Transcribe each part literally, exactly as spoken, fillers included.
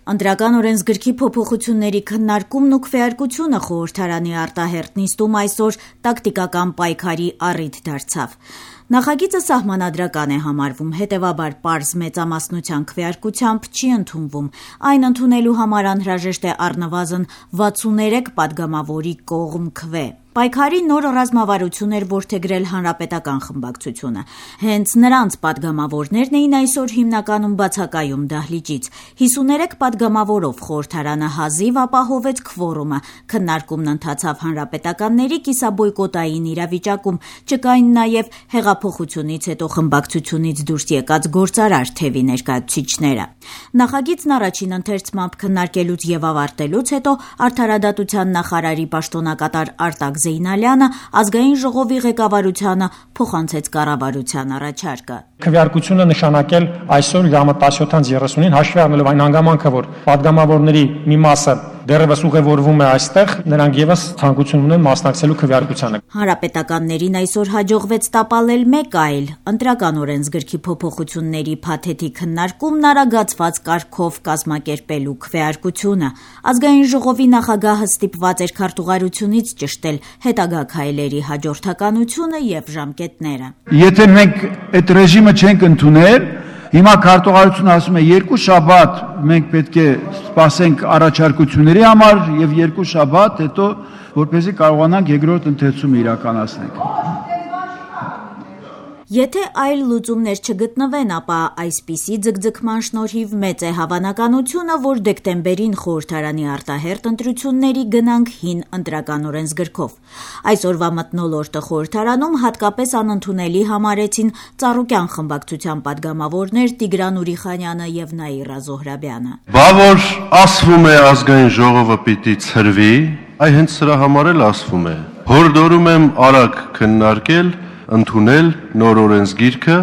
Ընտրական օրենսգրքի փոփոխությունների քննարկումն ու քվեարկությունը խորհրդարանի արտահերթ նիստում այսօր տակտիկական պայքարի առիթ դարձավ։ Նախագիծը սահմանադրական է համարվում, հետևաբար պարզ մեծամասնության քվեարկությամբ չի ընդունվում։ Այն ընդունելու համար անհրաժեշտ է առնվազն վաթսուններեք պատգամավորի կողմ քվե։ Պայքարի նոր ռազմավարություն էր որդեգրել հանրապետական խմբակցությունը։ Հենց նրանց պատգամավորներն էին այսօր հիմնականում բացակայում դահլիճից։ հիսուներեք պատգամավորով խորհրդարանը հազիվ ապահովեց քվորումը։ Քննարկումն ընթացավ հանրապետականների կիսաբոյկոտային իրավիճակում, չկային նաև հեղափոխությունից հետո խմբակցությունից դուրս եկած գործարար թևի ներկայացուցիչները։ Նախագիծն առաջին ընթերցմամբ քննարկելուց եւ ավարտելուց հետո արդարադատության նախարարի պաշտոնակատար Արտակ Զեյնալյանը ազգային ժողովի ղեկավարությանը փոխանցեց կառավարության առաջարկը։ Քվեարկությունը նշանակել այսօր ժամը տասնյոթից երեսունին հաշվի առնելով այն հանգամանքը, որ պատգամավորների մի մասը դեռևս ուղևորվում է այստեղ, նրանք եւս ցանկություն ունեն մասնակցելու քվեարկությանը։ Հանրապետականներին այսօր հաջողվեց տապալել մեկ այլ ընտրական օրենսգրքի փոփոխությունների փաթեթի քննարկումն արագացված կարգով կազմակերպելու քվեարկությունը։ Ազգային ժողովի նախագահը ստիպված էր քարտուղարությունից ճշտել հետագա քայլերի հաջորդականությունը եւ ժամկետները։ Եթե մենք այդ ռեժիմը չենք ընդունել, հիմա քարտուղարությունը ասում է երկու շաբաթ մենք պետք է սպասենք առաջարկությունների համար եւ երկու շաբաթ հետո որպեսզի կարողանանք երկրորդ ընթերցումը իրականացնենք։ Եթե այլ լուծումներ չգտնվեն, ապա այսպիսի ձգձգման շնորհիվ մեծ է հավանականությունը, որ դեկտեմբերին խորհրդարանի արտահերթ ընտրությունների գնանք հին ընտրական օրենսգրքով։ Այսօրվա մթնոլորտը խորհրդարանում հատկապես անընդունելի համարեցին Ծառուկյան խմբակցության պատգամավորներ Տիգրան Ուրիխանյանը եւ Նաիրա Զոհրաբյանը։ Բա որ ասվում է ազգային ժողովը պիտի ցրվի, այ հենց սրա համար էլ ասվում է։ Հորդորում եմ արագ քննարկել, ընդունել նոր օրենսգիրքը,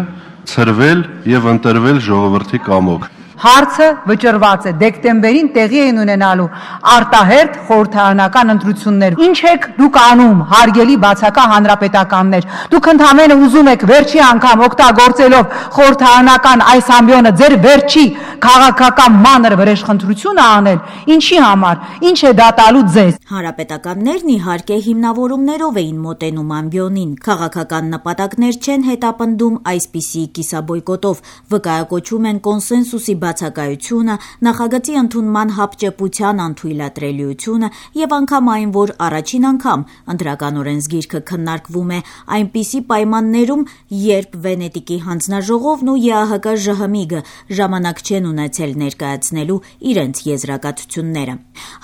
ցրվել եւ ընտրվել ժողովրդի կամոք։ Հարցը վճռված է դեկտեմբերին տեղի են ունենալու արտահերթ խորհրդարանական ընտրություններ։ Ինչ եք դուք անում, հարգելի բացակա հանրապետականներ։ Դուք ընդհանրապես ուզում եք վերջի անգամ օգտագործելով խորհրդարանական այս ամբիոնը ձեր վերջի քաղաքական մանր վրեժխնդրությունը անել։ Ինչի համար, ինչ է դա տալու ձեզ։ Հանրապետականներն իհարկե հիմնավորումներով էին մոտենում ամբիոնին։ Քաղաքական նպատակներ չեն հետապնդում այսպիսի կիսաբոյկոտով, վկայակոչում են կոնսենսուսի բացակայությունը, նախագծի ընդունման հապճեպության անթույլատրելիությունը եւ անգամ այն, որ առաջին անգամ ընտրական օրենսգիրքը քննարկվում է այնպիսի պայմաններում, երբ Վենետիկի հանձնաժողովն ու ԵԱՀԿ-ԺՀՄԻԳ ժամանակ չեն ունեցել ներկայացնելու իրենց եզրակացությունները։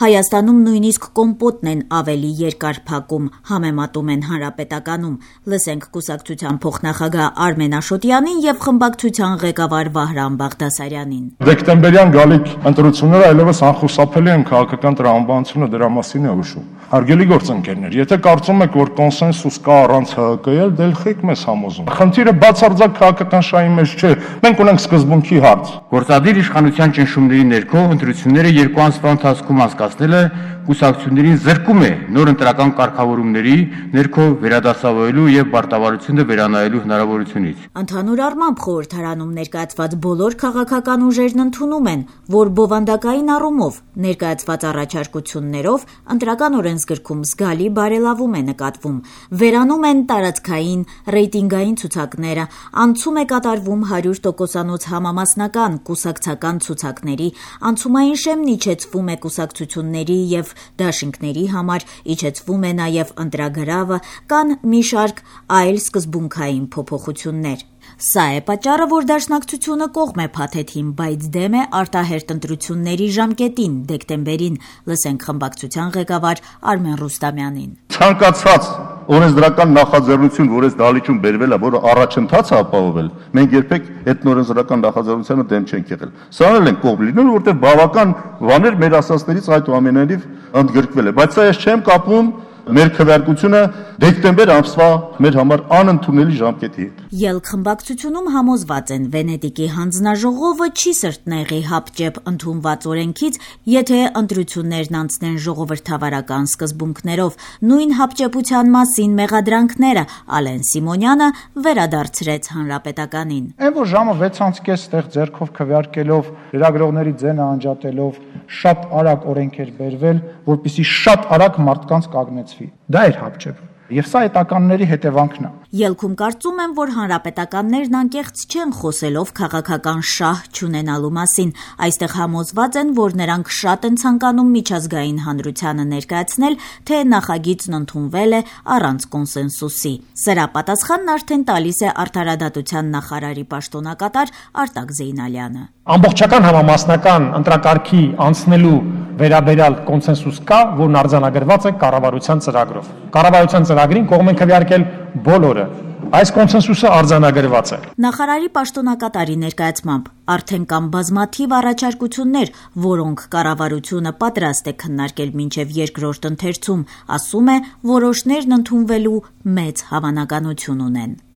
Հայաստանում նույնիսկ կոմպոտն են ավելի երկար փակում, համեմատում են հանրապետականում։ Լսենք կուսակցության փոխնախագահ Արմեն Աշոտյանին եւ խմբակցության ղեկավար Վահրամ Բաղդասարյանին։ Դեկտեմբերյան գալիք ընտրությունները այլևս անխուսափելի են քաղաքական տրամաբանությունը դրա մասին է հուշում։ Հարգելի գործընկերներ, եթե կարծում եք, որ կոնսենսուս կա առանց ՀՀԿ-ի, դե ելք մեզ համոզում։ Խնդիրը բացարձակ քաղաքական շահի մեջ չէ։ Մենք ունենք սկզբունքի հարց։ Գործադիր իշխանության ճնշումների ներքո ընտրությունները երկու ամսվա ընթացքում անցկացնելը կուսակցություններին զրկում է նոր ընտրական կարգավորումների ներքո վերադասավորելու եւ պարտավորությունը վերանայելու հնարավորությունից։ Ընդհանուր առմամբ խորհրդարանում ներկայացված բոլոր քաղաքական ուժերն ընդունում են, որ բովանդակային առումով ներկայացված առաջարկություններով ընտրական օրենսգրքում զգալի բարելավում է նկատվում։ Վերանում են տարածքային, ռեյտինգային ցուցակները, անցում է կատարվում հարյուր տոկոսանոց համամասնական, կուսակցական ցուցակների, անցումային շեմն իջեցվում է կուսակցությունների եւ դաշինքների համար, իջեցվում է նաև ընտրագրավը, կան մի շարք այլ սկզբունքային փոփոխություններ։ Սա է պատճառը, որ Դաշնակցությունը կողմ է փաթեթին, բայց դեմ է արտահերթ ընտրությունների ժամկետին, դեկտեմբերին։ Լսենք խմբակցության ղեկավար Արմեն Ռուստամյանին։ Ցանկացած օրենսդրական նախաձեռնություն, որ այս դահլիճում բերվել է, որը առաջընթաց է ապահովել, մենք երբեք այդ օրենսդրական նախաձեռնությանը դեմ չենք եղել։ Սա էլ են կողմ լինել, որտեղ բավական բաներ մեր ասածներից այդուամենայնիվ ընդգրկվել է, բայց սա ես չեմ կապում մեր քվեարկությունը դեկտեմբեր ամսվա մեր համար անընդունելի ժամկետի հետ։ Ելք խմբակցությունում համոզված են Վենետիկի հանձնաժողովը չի սրտնեղի հապճեպ ընդունված օրենքից, եթե ընտրություններն անցնեն ժողովրդավարական սկզբունքներով։ Նույն հապճեպության մասին մեղադրանքները Ալեն Սիմոնյանը վերադարձրեց Հանրապետականին։ Այն որ ժամը վեց կես ստեղ ձեռքով քվեարկելով, լրագրողների ձենը անջատելով շատ արագ օրենք էր բերվել, որպեսզի շատ արագ մարդկանց կանգնեցվի։ Դա էր հապճեպ։ Եվ սա էտականների հետևանքն է։ Ելքում կարծում եմ, որ հանրապետականներն անկեղծ չեն խոսելով քաղաքական շահ չունենալու մասին։ Այստեղ համոզված են, որ նրանք շատ են ցանկանում միջազգային հանրությանը ներկայացնել, թե նախագիծն ընդունվել է առանց կոնսենսուսի։ Սրա պատասխանն արդեն տալիս է Արդարադատության նախարարի պաշտոնակատար Արտակ Զեյնալյանը։ Ամբողջական համամասնական ընտրակարգի անցնելու վերաբերյալ կոնսենսուս կա, որն արձանագրված է կառավարության ծրագրով։ Կառավարության ծրագրին կողմ են քվեարկել բոլորը։ Այս կոնսենսուսը արձանագրված է։ Նախարարի պաշտոնակատարի ներկայացմամբ արդեն կան բազմաթիվ առաջարկություններ, որոնք կառավարությունը պատրաստ է քննարկել մինչև երկրորդ ընթերցում, ասում է, որոշներն ընդունվելու մեծ հավանականություն ունեն։